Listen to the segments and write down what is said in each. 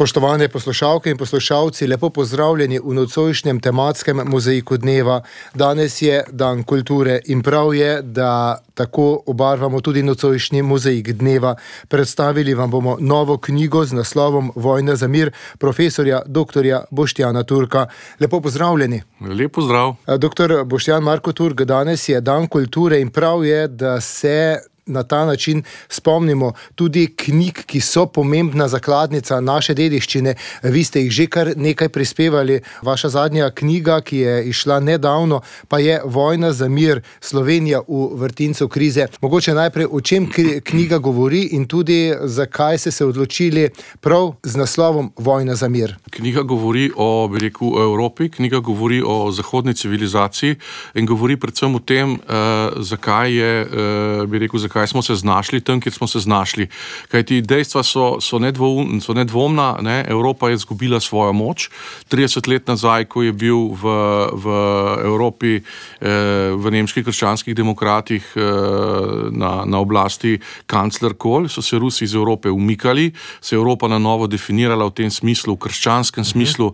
Spoštovane poslušalke in poslušalci, lepo pozdravljeni v nocojšnjem tematskem mozaiku dneva. Danes je dan kulture in prav je, da tako obarvamo tudi nocojšnji mozaik dneva. Predstavili vam bomo novo knjigo z naslovom Vojna za mir profesorja dr. Boštjana Turka. Lepo pozdravljeni. Lep pozdrav. Dr. Boštjan Marko Turk, danes je dan kulture in prav je, da se na ta način spomnimo tudi knjig, ki so pomembna zakladnica naše dediščine. Vi ste jih že kar nekaj prispevali. Vaša zadnja knjiga, ki je izšla nedavno, pa je Vojna za mir, Slovenija v vrtincu krize. Mogoče najprej, o čem knjiga govori in tudi zakaj ste se odločili prav z naslovom Vojna za mir. Knjiga govori o Evropi, knjiga govori o zahodni civilizaciji in govori predvsem o tem, zakaj smo se znašli tam, kjer smo se znašli. Kajti dejstva so nedvomna, ne? Evropa je izgubila svojo moč. 30 let nazaj, ko je bil v Evropi, v nemških krščanskih demokratih na oblasti kancler Kohl, so se Rusi iz Evrope umikali, se je Evropa na novo definirala v tem smislu, v krščanskem smislu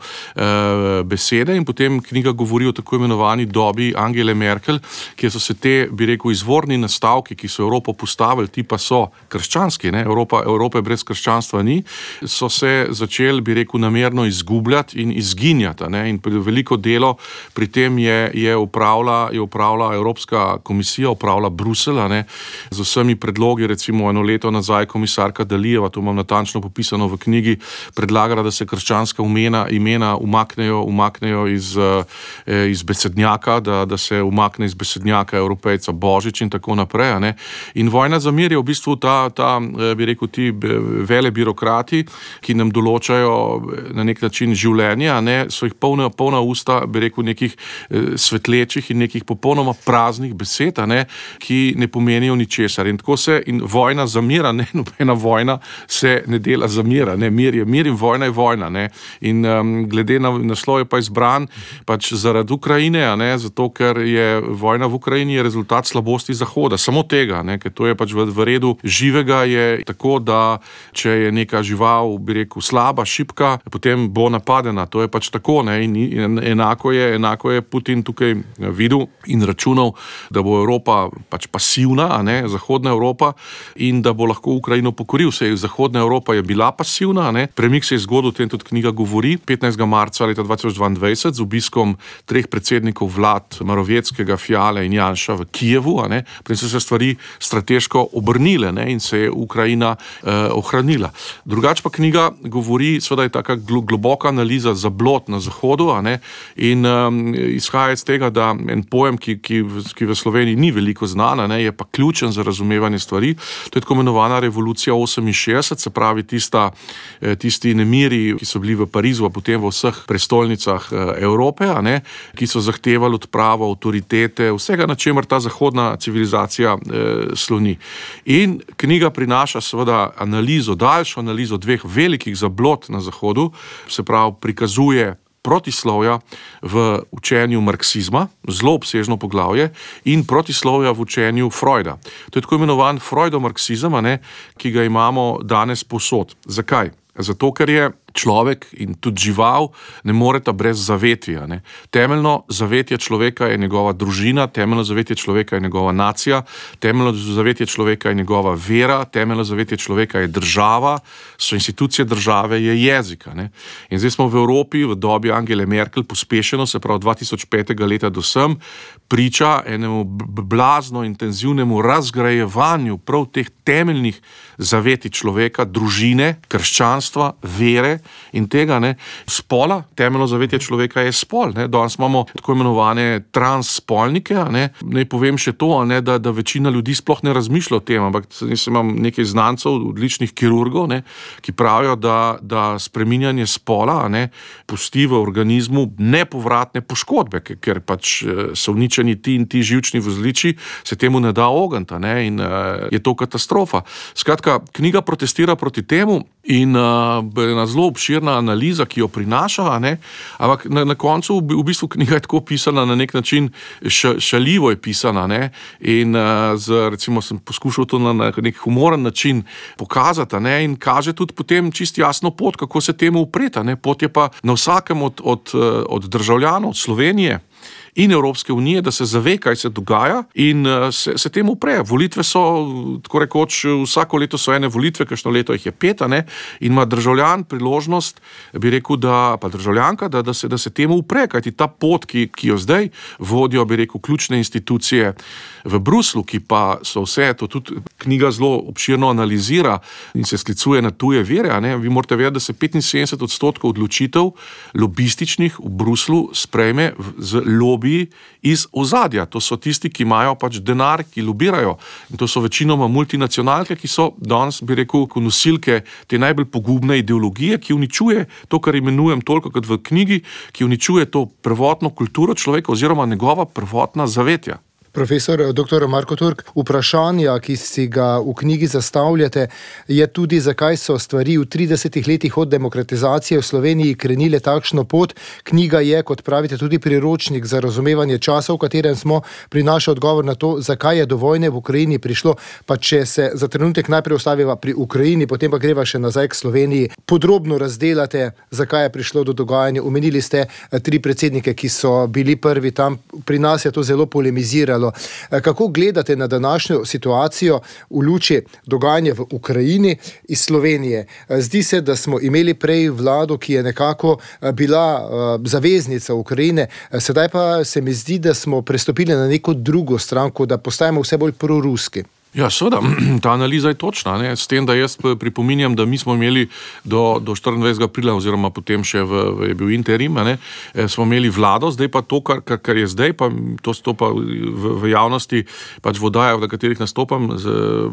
besede, in potem knjiga govori o tako imenovani dobi Angele Merkel, kjer so se te, izvorni nastavki, ki so Evropo postavili, ti pa so krščanski, ne? Evrope brez krščanstva ni, so se začeli, namerno izgubljati in izginjati, ne? In veliko delo pri tem je upravila Evropska komisija, upravila Bruselj, ne? Z vsemi predlogi, recimo eno leto nazaj komisarka Dalijeva, to imam natančno popisano v knjigi, predlagala, da se krščanska imena umaknejo iz besednjaka, da se umakne iz besednjaka Evropejca Božič in tako naprej, ne? In Vojna za mir je v bistvu ti vele birokrati, ki nam določajo na nek način življenje, ne, so jih polna usta, nekih svetlečih in nekih popolnoma praznih besed, ne, ki ne pomenijo ničesar. In tako in vojna za mir, ne, nobena vojna se ne dela za mir, ne, mir je mir in vojna je vojna, ne. In glede na naslov je pa izbran pač zaradi Ukrajine, ne, zato ker je vojna v Ukrajini je rezultat slabosti Zahoda, samo tega, ne, ker to je pač v redu živega, je tako, da če je neka žival, slaba, šibka, potem bo napadena. To je pač tako, ne, in enako je Putin tukaj videl in računal, da bo Evropa pač pasivna, ne, Zahodna Evropa, in da bo lahko Ukrajino pokoril. Zahodna Evropa je bila pasivna, ne, premik se je zgodil, o tem tudi knjiga govori, 15. marca leta 2022 z obiskom 3 predsednikov vlad, Morawieckiega, Fiale in Janša v Kijevu, ne, potem so se stvari strateško obrnile, ne, in se je Ukrajina ohranila. Drugače pa knjiga govori, seveda je taka globoka analiza zablod na Zahodu, ne, in izhaja iz tega, da en pojem, ki v Sloveniji ni veliko znana, ne, je pa ključen za razumevanje stvari, to je tako imenovana revolucija 68, se pravi tisti nemiri, ki so bili v Parizu, a potem v vseh prestolnicah Evrope, ne, ki so zahtevali odpravo avtoritete, vsega, na čemer ta zahodna civilizacija sloni. In knjiga prinaša seveda daljšo analizo 2 velikih zablod na Zahodu, se pravi prikazuje protislovja v učenju marksizma, zelo obsežno poglavje, in protislovja v učenju Freuda. To je tako imenovan freudomarksizem, ne, ki ga imamo danes povsod. Zakaj? Zato, ker je človek in tudi žival ne moreta brez zavetja, ne. Temeljno zavetje človeka je njegova družina, temeljno zavetje človeka je njegova nacija, temeljno zavetje človeka je njegova vera, temeljno zavetje človeka je država, so institucije države, je jezika, ne. In zdaj smo v Evropi v dobi Angele Merkel pospešeno, se pravi 2005. leta do sem, priča enemu blazno intenzivnemu razgrajevanju prav teh temeljnih zavetij človeka, družine, krščanstva, vere in tega, ne, spola. Temeljno zavetje človeka je spol, ne. Danes imamo tako imenovane transspolnike, ne. Naj povem še to, ne, da večina ljudi sploh ne razmišlja o tem, ampak imam nekaj znancev, odličnih kirurgov, ne, ki pravijo, da spreminjanje spola, ne, pusti v organizmu nepovratne poškodbe, ker pač so uničeni ti in ti živčni vozliči, se temu ne da ogniti, ne, in je to katastrofa. Skratka, knjiga protestira proti temu in na zelo obširna analiza, ki jo prinaša, ampak na koncu v bistvu knjiga je tako pisana na nek način, šaljivo je pisana, in recimo sem poskušal to na nek humoren način pokazati, in kaže tudi potem čisto jasno pot, kako se temu upreti. Pot je pa na vsakem od državljanov, od Slovenije in Evropske unije, da se zave, kaj se dogaja in se temu upre. Volitve so, tako rekoč, vsako leto so ene volitve, kakšno leto jih je 5, in ima državljan priložnost, bi rekel, pa državljanka, da se temu upre, kajti ta pot, ki jo zdaj vodijo, bi rekel, ključne institucije v Bruslu, ki pa so vse, to tudi knjiga zelo obširno analizira in se sklicuje na tuje vire, vi morate vedeti, da se 75% odločitev lobističnih v Bruslu sprejme z lobiji iz ozadja. To so tisti, ki imajo pač denar, ki lobirajo. In to so večinoma multinacionalke, ki so danes, bi rekel, nosilke te najbolj pogubne ideologije, ki uničuje to, kar imenujem toliko kot v knjigi, ki uničuje to prvotno kulturo človeka oziroma njegova prvotna zavetja. Profesor dr. Marko Turk, vprašanja, ki si ga v knjigi zastavljate, je tudi, zakaj so stvari v 30 letih od demokratizacije v Sloveniji krenile takšno pot. Knjiga je, kot pravite, tudi priročnik za razumevanje časa, v katerem smo, prinaša odgovor na to, zakaj je do vojne v Ukrajini prišlo. Pa če se za trenutek najprej ustaviva pri Ukrajini, potem pa greva še nazaj k Sloveniji. Podrobno razdelate, zakaj je prišlo do dogajanja. Omenili ste 3 predsednike, ki so bili prvi tam. Pri nas je to zelo polemiziralo. Kako gledate na današnjo situacijo v luči dogajanja v Ukrajini iz Slovenije? Zdi se, da smo imeli prej vlado, ki je nekako bila zaveznica Ukrajine, sedaj pa se mi zdi, da smo prestopili na neko drugo stranko, da postajamo vse bolj proruski. Ja, seveda, ta analiza je točna, s tem, da jaz pripominjam, da mi smo imeli do 24. aprila oziroma potem še je bil interim, smo imeli vlado, zdaj pa to, kar je zdaj, pa to stopa v javnosti, pač v oddajah, v katerih nastopam,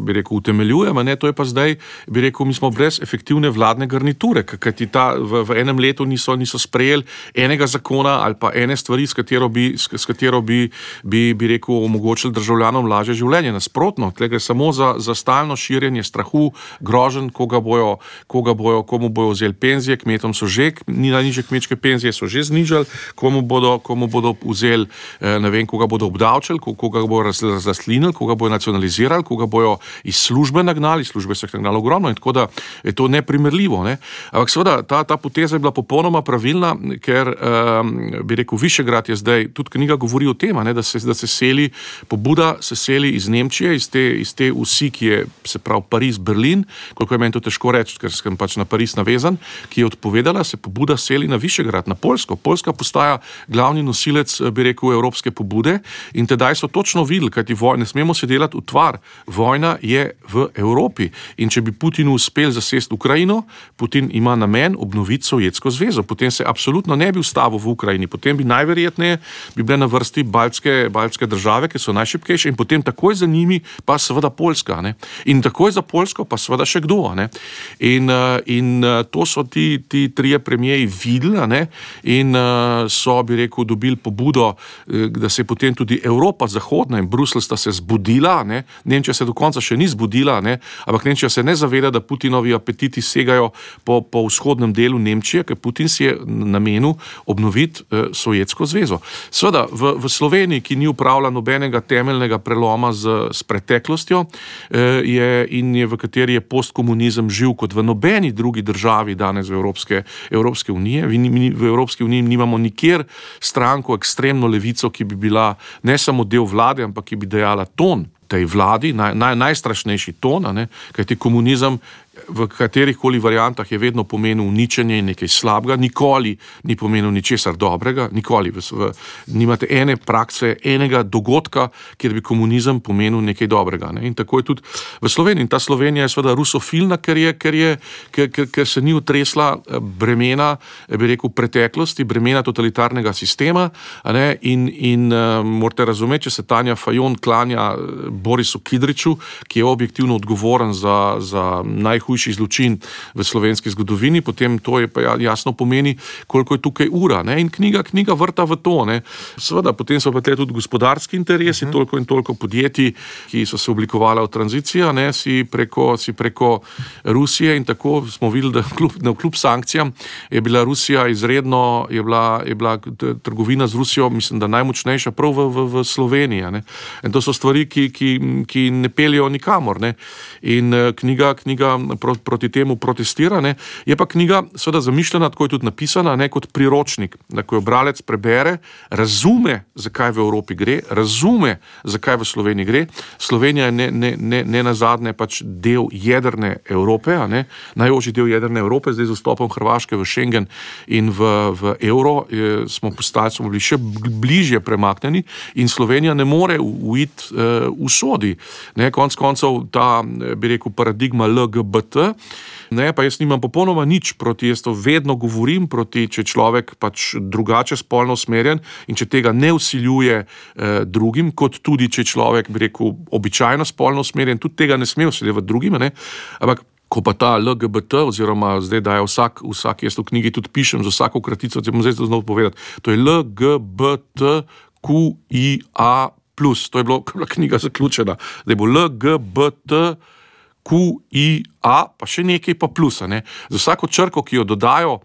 bi rekel, utemeljujem, to je pa zdaj, bi rekel, mi smo brez efektivne vladne garniture, kajti v enem letu niso sprejeli enega zakona ali pa ene stvari, s katero bi rekel, omogočili državljanom lažje življenje. Nasprotno, gre samo za stalno širjenje strahu, groženj, komu bojo vzeli penzije, kmetom so že, najnižje kmečke penzije so že znižali, komu bodo vzeli, ne vem, koga bodo obdavčili, koga bojo razlastlinili, koga bojo nacionalizirali, koga bojo iz službe nagnali, službe so jih nagnali ogromno, in tako da je to neprimerljivo. Ampak seveda, ta poteza je bila popolnoma pravilna, ker, bi rekel, Višegrad je zdaj, tudi knjiga govori o tem, da se seli, pobuda se seli iz Nemčije, iz te vsi, ki je, se pravi, Pariz, Berlin, koliko je meni to težko reči, ker sem pač na Pariz navezan, ki je odpovedala, se pobuda seli na Višegrad, na Poljsko. Poljska postaja glavni nosilec, bi rekel, evropske pobude, in tedaj so točno videli, kajti ne smemo se delati utvar. Vojna je v Evropi in če bi Putinu uspel zasesti Ukrajino, Putin ima namen obnoviti Sovjetsko zvezo. Potem se absolutno ne bi ustavil v Ukrajini, potem bi najverjetneje bile na vrsti baltske države, ki so najšibkejše, in potem takoj za njimi pa seveda Poljska. In takoj za Poljsko pa seveda še kdo. In to so ti 3 premijeji videli, in so, bi rekel, dobili pobudo, da se je potem tudi Evropa zahodna in Bruselj sta se zbudila. Nemčija se do konca še ni zbudila, ampak Nemčija se ne zaveda, da Putinovi apetiti segajo po vzhodnem delu Nemčije, ker Putin si je namenil obnoviti Sovjetsko zvezo. Seveda, v Sloveniji, ki ni upravila nobenega temeljnega preloma s preteklostjo, v kateri je postkomunizem živ kot v nobeni drugi državi danes v Evropske unije. V Evropski uniji nimamo nikjer stranko, ekstremno levico, ki bi bila ne samo del vlade, ampak ki bi dejala ton tej vladi, najstrašnejši ton, kajti komunizem v katerihkoli variantah je vedno pomenil uničenje in nekaj slabega, nikoli ni pomenil ničesar dobrega, nikoli. Nimate ene prakse, enega dogodka, kjer bi komunizem pomenil nekaj dobrega. In tako je tudi v Sloveniji. In ta Slovenija je seveda rusofilna, ker se ni utresla bremena, bi rekel, preteklosti, bremena totalitarnega sistema. In morate razumeti, če se Tanja Fajon klanja Borisu Kidriču, ki je objektivno odgovoren za najhujši zločin v slovenski zgodovini, potem to je pa jasno pomeni, koliko je tukaj ura, ne? In knjiga vrta v to, ne? Seveda, potem so pa tudi gospodarski interesi, toliko in toliko podjetij, ki so se oblikovala v tranziciji, ne? Si preko Rusije in tako smo videli, da kljub sankcijam je bila Rusija izredno, je bila trgovina z Rusijo, mislim, da najmočnejša prav v Sloveniji, ne? In to so stvari, ki ne peljejo nikamor, ne? In knjiga proti temu protestira, ne? Je pa knjiga seveda zamišljena, tako je tudi napisana, ne, kot priročnik, da ko jo bralec prebere, razume, zakaj v Evropi gre, razume, zakaj v Sloveniji gre. Slovenija je ne nazadnje pač del jedrne Evrope, a ne, najožji del jedrne Evrope, zdaj z vstopom Hrvaške v Schengen in v evro smo bili še bližje premaknjeni in Slovenija ne more uiti usodi. Ne, konec koncev ta, bi rekel, paradigma LGBT, ne, pa jaz nimam popolnoma nič proti, jaz to vedno govorim proti, če človek pač drugače spolno usmerjen in če tega ne vsiljuje drugim, kot tudi, če človek, bi rekel, običajno spolno usmerjen, tudi tega ne sme vsiljevati drugim, ne, ampak ko pa ta LGBT, oziroma zdaj daje vsak, jaz v knjigi tudi pišem z vsako kratico, če bom zdaj znov povedati, to je LGBTQIA+, to je bila knjiga zaključena, zdaj bo LGBTQIA, pa še nekaj pa plusa, ne. Za vsako črko, ki jo dodajo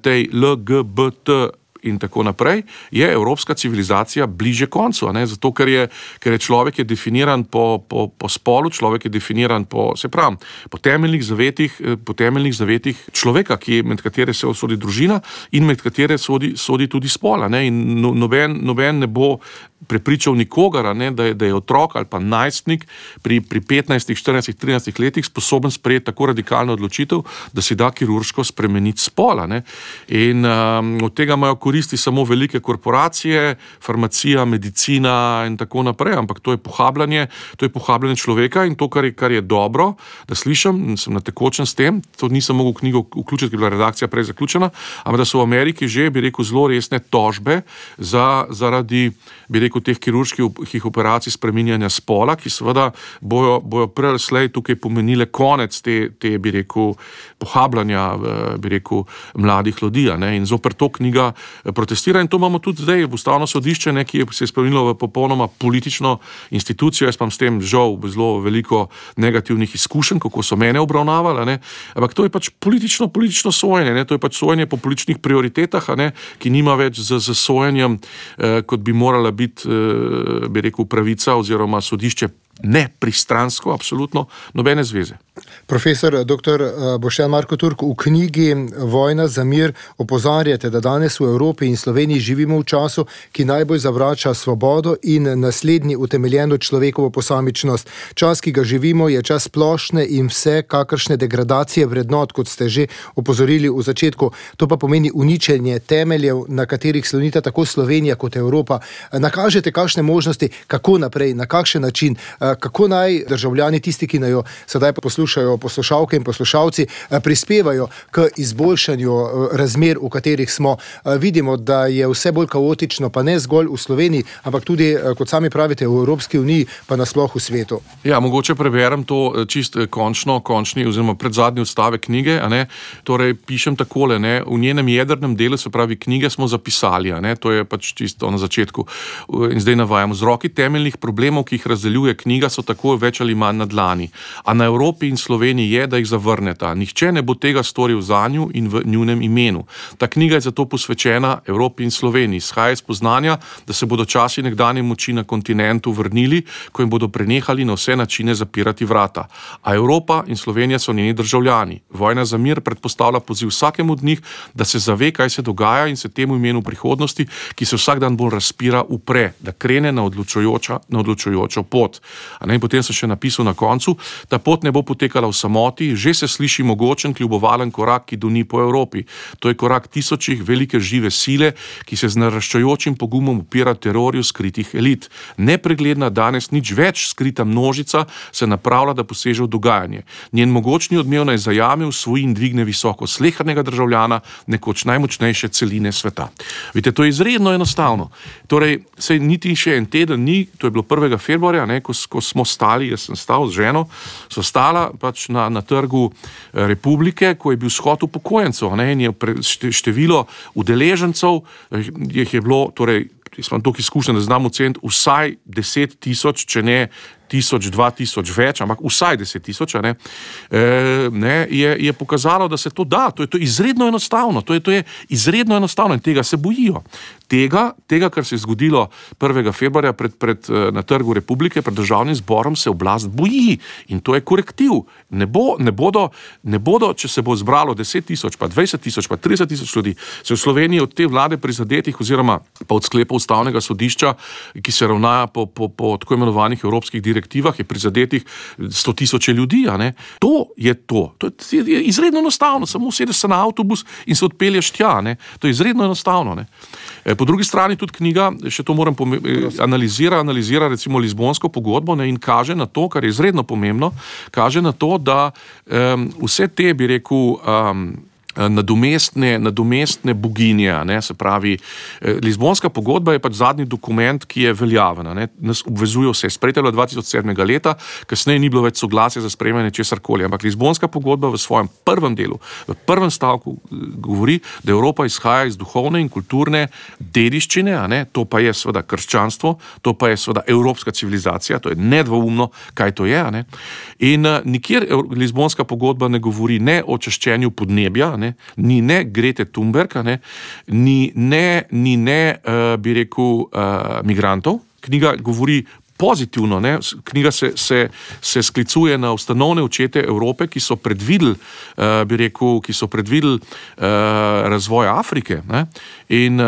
tej LGBT in tako naprej, je evropska civilizacija bliže koncu, ne? Zato, ker je človek je definiran po spolu, človek je definiran po temeljnih zavetih človeka, med katere se sodi družina in med katere sodi tudi spola, ne? In noben ne bo prepričal nikogar, ne? Da je otrok ali pa najstnik pri 15, 14, 13 letih sposoben sprejeti tako radikalno odločitev, da si da kirurško spremeniti spola, ne? In od tega imajo koristi samo velike korporacije, farmacija, medicina in tako naprej, ampak to je pohabljanje človeka in to, kar je dobro, da slišim, sem na tekočem s tem, to nisem mogel knjigo vključiti, ker je bila redakcija prej zaključena, ampak da so v Ameriki že, bi rekel, zelo resne tožbe zaradi, bi rekel, teh kirurških operacij spreminjanja spola, ki seveda bojo prej ali slej tukaj pomenile konec te, bi rekel, pohabljanja, bi rekel, mladih ljudi, ne? In zoper to knjiga protestira in to imamo tudi zdaj v Ustavno sodišče, ne, ki se je spremenilo v popolnoma politično institucijo. Jaz imam s tem žal zelo veliko negativnih izkušenj, kako so mene obravnavali, ne? Ampak to je pač politično sojenje, ne? To je pač sojenje po političnih prioritetah, ne? Ki nima več z sojenjem, kot bi morala biti, bi rekel, pravica oziroma sodišče nepristransko, absolutno nobene zveze. Profesor dr. Boštjan Marko Turk, v knjigi Vojna za mir opozarjate, da danes v Evropi in Sloveniji živimo v času, ki najbolj zavrača svobodo in naslednji utemeljeno človekovo posamičnost. Čas, ki ga živimo, je čas splošne in vse kakršne degradacije vrednot, kot ste že opozorili v začetku. To pa pomeni uničenje temeljev, na katerih slonita tako Slovenija kot Evropa. Nakažete kakšne možnosti, kako naprej, na kakšen način, kako naj državljani, tisti, ki naj jo sedaj poslušajo, poslušalke in poslušalci, prispevajo k izboljšanju razmer, v katerih smo. Vidimo, da je vse bolj kaotično, pa ne zgolj v Sloveniji, ampak tudi, kot sami pravite, v Evropski uniji, pa nasploh v svetu. Ja, mogoče preberem to čist končni oziroma predzadnji odstavek knjige, a ne. Torej, pišem takole, ne, v njenem jedrnem delu, se pravi knjige, smo zapisali, a ne, to je pač čisto na začetku. In zdaj navajam, vzroki temeljnih problemov, ki jih razdeljuje knjiga, so tako več ali manj na dlani. A na Evropi in Sloveniji je, da jih zavrneta. Nihče ne bo tega storil zanju in v njunem imenu. Ta knjiga je zato posvečena Evropi in Sloveniji. Izhaja iz spoznanja, da se bodo časi nekdanje moči na kontinentu vrnili, ko jim bodo prenehali na vse načine zapirati vrata. A Evropa in Slovenija so njeni državljani. Vojna za mir predpostavlja poziv vsakemu od njih, da se zave, kaj se dogaja in se temu imenu prihodnosti, ki se vsak dan bolj razpira, upre, da krene na odločujočo pot. In potem sem še napisal na koncu, ta pot ne bo potekala v samoti, že se sliši mogočen kljubovalen korak, ki doni po Evropi. To je korak tisočih velike žive sile, ki se z naraščajočim pogumom upira terorju skritih elit. Nepregledna, danes nič več skrita množica se napravlja, da poseže v dogajanje. Njen mogočni odmev naj zajame, usvoji in dvigne visoko slehernega državljana, nekoč najmočnejše celine sveta. Vidite, to je izredno enostavno. Torej, sej niti še en teden ni, to je bilo 1. februarja, ne, ko smo stali, jaz sem stal z ženo, so stala pač na trgu Republike, ko je bil shod upokojencev, in je število udeležencev, jih je bilo, torej, jaz imam toliko izkušenj, da znam oceniti vsaj 10,000, če ne 1,000, 2,000 več, ampak vsaj 10,000, je pokazalo, da se to da. To je izredno enostavno. To je izredno enostavno in tega se bojijo. Tega, kar se je zgodilo 1. februarja na Trgu Republike, pred državnim zborom, se oblast boji in to je korektiv. Ne bodo, če se bo zbralo 10,000, pa 20,000, pa 30,000 ljudi, se v Sloveniji od te vlade prizadetih oziroma pa od sklepov Ustavnega sodišča, ki se ravnajo po tako imenovanih evropskih direktivah, je prizadetih 100,000 ljudi. To je to. To je izredno enostavno. Samo sedeš se na avtobus in se odpelješ tja. To je izredno enostavno. Po drugi strani tudi knjiga, še to moram analizira recimo Lizbonsko pogodbo in kaže na to, kar je izredno pomembno, kaže na to, da vse te, bi rekel, nadomestne boginje, se pravi, Lizbonska pogodba je pač zadnji dokument, ki je veljaven, nas obvezuje vse, sprejeta je bila 2007. leta, kasneje ni bilo več soglasja za sprejemanje česarkoli, ampak Lizbonska pogodba v svojem prvem delu, v prvem stavku govori, da Evropa izhaja iz duhovne in kulturne dediščine, to pa je seveda krščanstvo, to pa je seveda evropska civilizacija, to je nedvoumno, kaj to je, in nikjer Lizbonska pogodba ne govori ne o čiščenju podnebja, ni ne Grete Thunberg, ni bi rekel, migrantov. Knjiga govori pozitivno, knjiga se sklicuje na ustanovne očete Evrope, ki so predvideli, bi rekel, razvoj Afrike, in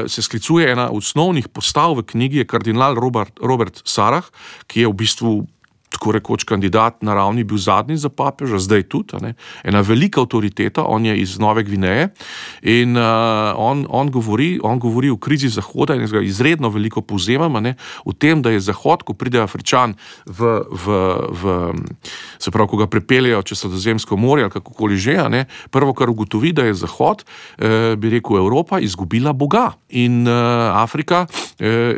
se sklicuje ena osnovnih postav v knjigi, je kardinal Robert Sarah, ki je v bistvu tako rekoč kandidat na ravni bil zadnji za papeža, zdaj tudi, ena velika avtoriteta, on je iz Nove Gvineje in on govori o krizi Zahoda in ga izredno veliko povzemam, v tem, da je Zahod, ko pride Afričan se pravi, ko ga prepeljejo čez Sredozemsko morje ali kakokoli že, prvo, kar ugotovi, da je Zahod, bi rekel, Evropa izgubila Boga in Afrika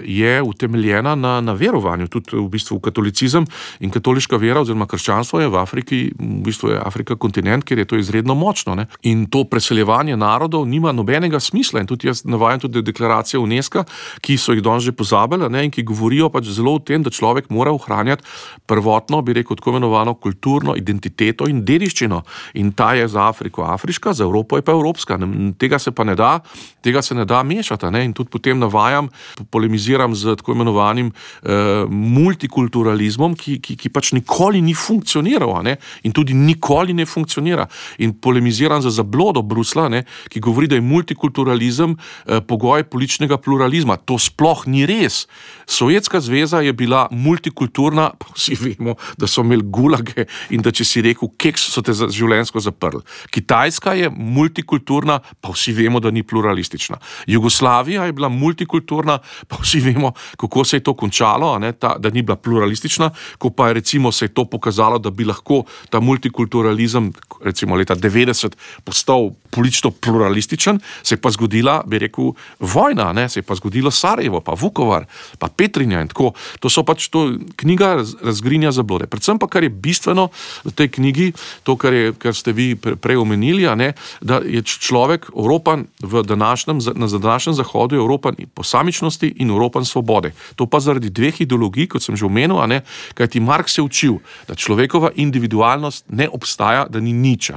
je utemeljena na verovanju, tudi v bistvu katolicizem in katoliška vera oziroma krščanstvo je v Afriki, v bistvu je Afrika kontinent, kjer je to izredno močno. In to preseljevanje narodov nima nobenega smisla. In tudi jaz navajam tudi deklaracije UNESCO, ki so jih danes že pozabili, in ki govorijo pač zelo o tem, da človek mora ohranjati prvotno, bi rekel, tako imenovano kulturno identiteto in dediščino. In ta je za Afriko afriška, za Evropo je pa evropska. Tega se ne da mešati. In tudi potem navajam, polemiziram z tako imenovanim multikulturalizmom, ki pač nikoli ni funkcioniral, in tudi nikoli ne funkcionira. In polemiziram za zablodo Brusla, ki govori, da je multikulturalizem pogoj političnega pluralizma. To sploh ni res. Sovjetska zveza je bila multikulturna, pa vsi vemo, da so imeli gulage in da če si rekel keks, so te življenjsko zaprli. Kitajska je multikulturna, pa vsi vemo, da ni pluralistična. Jugoslavija je bila multikulturna, pa vsi vemo, kako se je to končalo, da ni bila pluralistična, ko pa je recimo se je to pokazalo, da bi lahko ta multikulturalizem recimo leta 90 postal politično pluralističen, se je pa zgodila, bi rekel, vojna, se je pa zgodilo Sarajevo, pa Vukovar, pa Petrinja in tako. To so pač knjiga razgrinja zablode. Predvsem pa, kar je bistveno v tej knjigi, to, kar ste vi prej omenili, da je človek Evropan na današnjem Zahodu, Evropan posamičnosti in Evropan svobode. To pa zaradi dveh ideologij, kot sem že omenil, kajti Marx je učil, da človekova individualnost ne obstaja, da ni nič,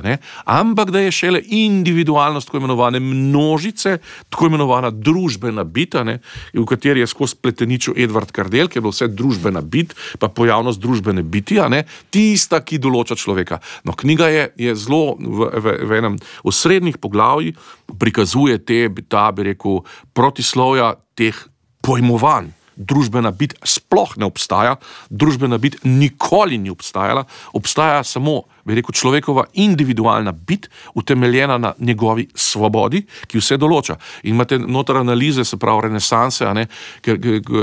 ampak da je šele individualnost tako imenovane množice, tako imenovana družbena bit, v kateri je skozi pleteničil Edvard Kardel, ki je bilo vse družbena bit, pa pojavnost družbene biti, tista, ki določa človeka. No, knjiga je zelo v enem osrednjih poglavji prikazuje ta, bi rekel, protislovja teh pojmovanj. Družbena bit sploh ne obstaja, družbena bit nikoli ni obstajala, obstaja samo bi rekel, človekova individualna bit, utemeljena na njegovi svobodi, ki vse določa. In imate noter analize, se pravi renesanse,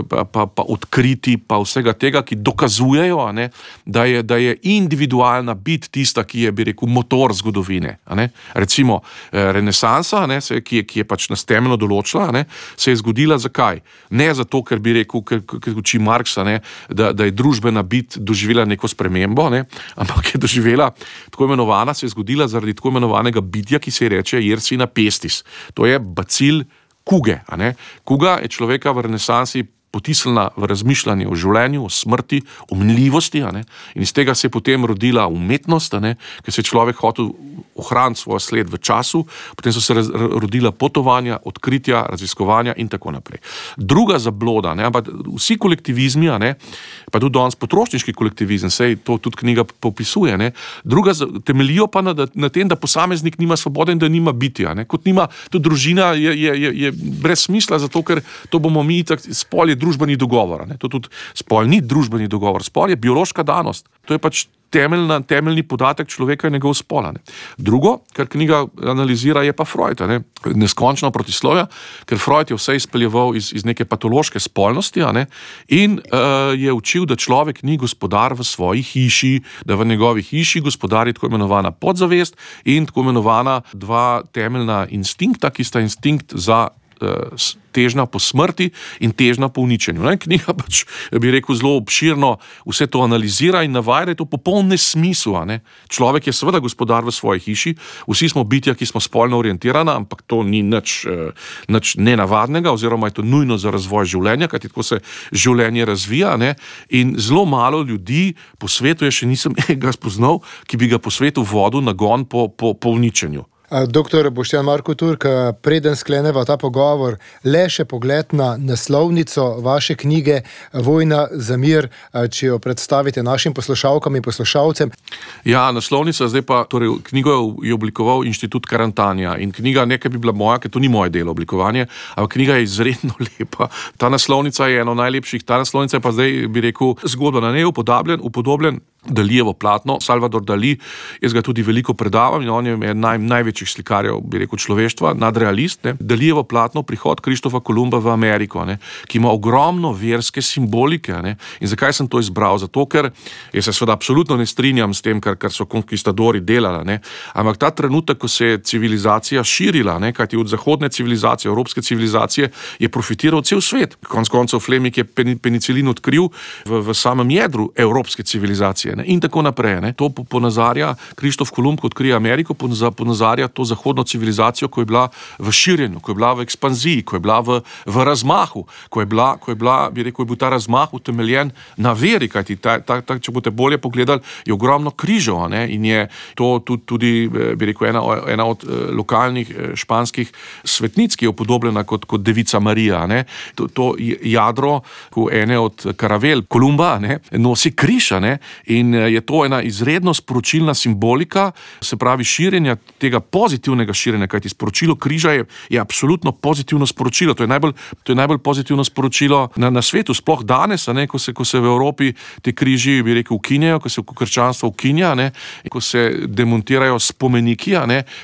pa odkriti, pa vsega tega, ki dokazujejo, da je individualna bit tista, ki je, bi rekel, motor zgodovine. Recimo renesansa, ki je pač nas temeljno določila, se je zgodila zakaj? Ne zato, ker bi rekel, ker uči Marksa, da je družbena bit doživela neko spremembo, ampak je doživela se je zgodila zaradi tako imenovanega bitja, ki se reče Yersina pestis. To je bacil kuge. Kuga je človeka v renesansi potisnila v razmišljanje o življenju, o smrti, o minljivosti, in iz tega se je potem rodila umetnost, ker se je človek hotel ohraniti svoj sled v času, potem so se rodila potovanja, odkritja, raziskovanja in tako naprej. Druga zabloda, ampak vsi kolektivizmi, pa tudi danes potrošniški kolektivizem, sej to tudi knjiga popisuje, druga temeljijo pa na tem, da posameznik nima svobode in da nima bitja. Kot nima, tudi družina je brez smisla, zato ker to bomo mi spol je družbeni dogovor. To tudi spol ni družbeni dogovor, spol je biološka danost. To je pač temeljni podatek človeka in njegov spol. Drugo, kar knjiga analizira, je pa Freud. Neskončno protislovja, ker Freud je vse izpeljeval iz neke patološke spolnosti in je učil, da človek ni gospodar v svoji hiši, da v njegovi hiši gospodari tako imenovana podzavest in tako imenovana dva temeljna instinkta, ki sta instinkt za težnja po smrti in težnja po uničenju. Knjiga pač, bi rekel, zelo obširno vse to analizira in navaja, da je to popoln nesmisel. Človek je seveda gospodar v svoji hiši, vsi smo bitja, ki smo spolno orientirana, ampak to ni nič nenavadnega, oziroma je to nujno za razvoj življenja, kajti tako se življenje razvija, in zelo malo ljudi po svetu, še nisem ga spoznal, ki bi ga po svetu vodil nagon po uničenju. Doktor Boštjan Marko Turk, preden skleneva ta pogovor, le še pogled na naslovnico vaše knjige Vojna za mir, če jo predstavite našim poslušalkam in poslušalcem. Ja, naslovnica, zdaj pa, torej knjigo je oblikoval Inštitut Karantanija in knjiga nekaj bi bila moja, ker to ni moje delo oblikovanje, ampak knjiga je izredno lepa. Ta naslovnica je eno najlepših, ta naslovnica je pa zdaj, bi rekel, zgodba na njej upodobljen Dalijevo platno, Salvador Dali, jaz ga tudi veliko predavam in on je največjih slikarjev, bi rekel, človeštva, nadrealist. Dalijevo platno, Prihod Krištofa Kolumba v Ameriko, ki ima ogromno verske simbolike. In zakaj sem to izbral? Zato, ker jaz se seveda absolutno ne strinjam s tem, kar so konkistadori delali, ampak ta trenutek, ko se je civilizacija širila, kajti od zahodne civilizacije, evropske civilizacije, je profitiral cel svet. Konec koncev Fleming je penicilin odkril v samem jedru evropske civilizacije. In tako naprej. To ponazarja Krištof Kolumb, ko odkrije Ameriko, ponazarja to zahodno civilizacijo, ko je bila v širjenju, ko je bila v ekspanziji, ko je bila v razmahu, ko je bil ta razmah utemeljen na veri, kajti če boste bolje pogledali, je ogromno križev, in je to tudi, bi rekel, ena od lokalnih španskih svetnic, ki je upodobljena kot devica Marija. To jadro, ko ene od karavel Kolumba nosi križ, in je to ena izredno sporočilna simbolika, se pravi širjenja tega pozitivnega širjenja, kajti sporočilo križa je absolutno pozitivno sporočilo. To je najbolj pozitivno sporočilo na svetu, sploh danes, ko se v Evropi te križi, bi rekel, ukinjajo, ko se krščanstvo ukinja, ko se demontirajo spomeniki,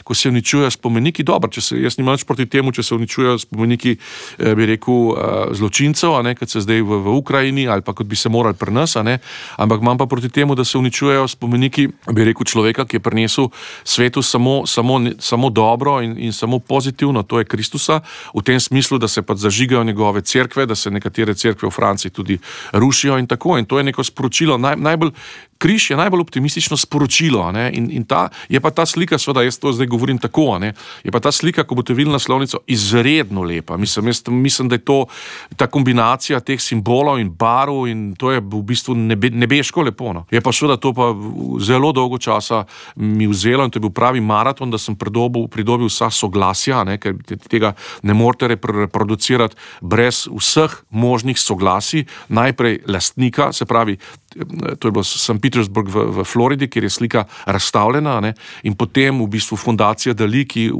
ko se uničujejo spomeniki. Dobro, jaz nimam nič proti temu, če se uničujejo spomeniki, bi rekel, zločincev, kot se zdaj v Ukrajini, ali pa kot bi se morali pri nas, ampak imam pa proti temu, da se uničujejo spomeniki, bi rekel, človeka, ki je prinesel svetu samo dobro in samo pozitivno, to je Kristusa, v tem smislu, da se pa zažigajo njegove cerkve, da se nekatere cerkve v Franciji tudi rušijo in tako. In to je neko sporočilo, križ je najbolj optimistično sporočilo, in je pa ta slika, seveda jaz to zdaj govorim tako, je pa ta slika, ko boste videli naslovnico, izredno lepa. Mislim, da je to ta kombinacija teh simbolov in barv in to je v bistvu nebeško lepo. Je pa seveda to pa zelo dolgo časa mi vzelo in to je bil pravi maraton, da sem pridobil vsa soglasja, ker tega ne morete reproducirati brez vseh možnih soglasij. Najprej lastnika, se pravi to je bilo St. Petersburg v Floridi, kjer je slika razstavljena, ne, in potem v bistvu fundacija Dali, ki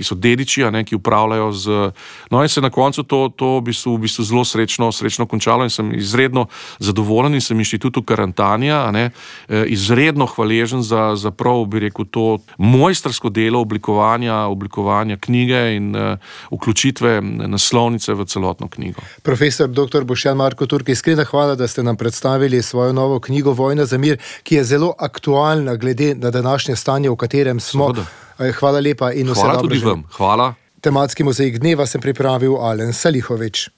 so dediči, ne, ki upravljajo no in se na koncu to v bistvu zelo srečno končalo in sem izredno zadovoljen in sem inštitutu Karantanija, ne, izredno hvaležen za prav, bi rekel, to mojstrsko delo oblikovanja knjige in vključitve naslovnice v celotno knjigo. Profesor dr. Boštjan Marko Turk, iskrena hvala, da ste nam predstavili svojo novo knjigo Vojna za mir, ki je zelo aktualna glede na današnje stanje, v katerem smo. Hvala lepa in vse dobro. Hvala tudi vam. Hvala. Tematski mozaik dneva sem pripravil Alen Salihovič.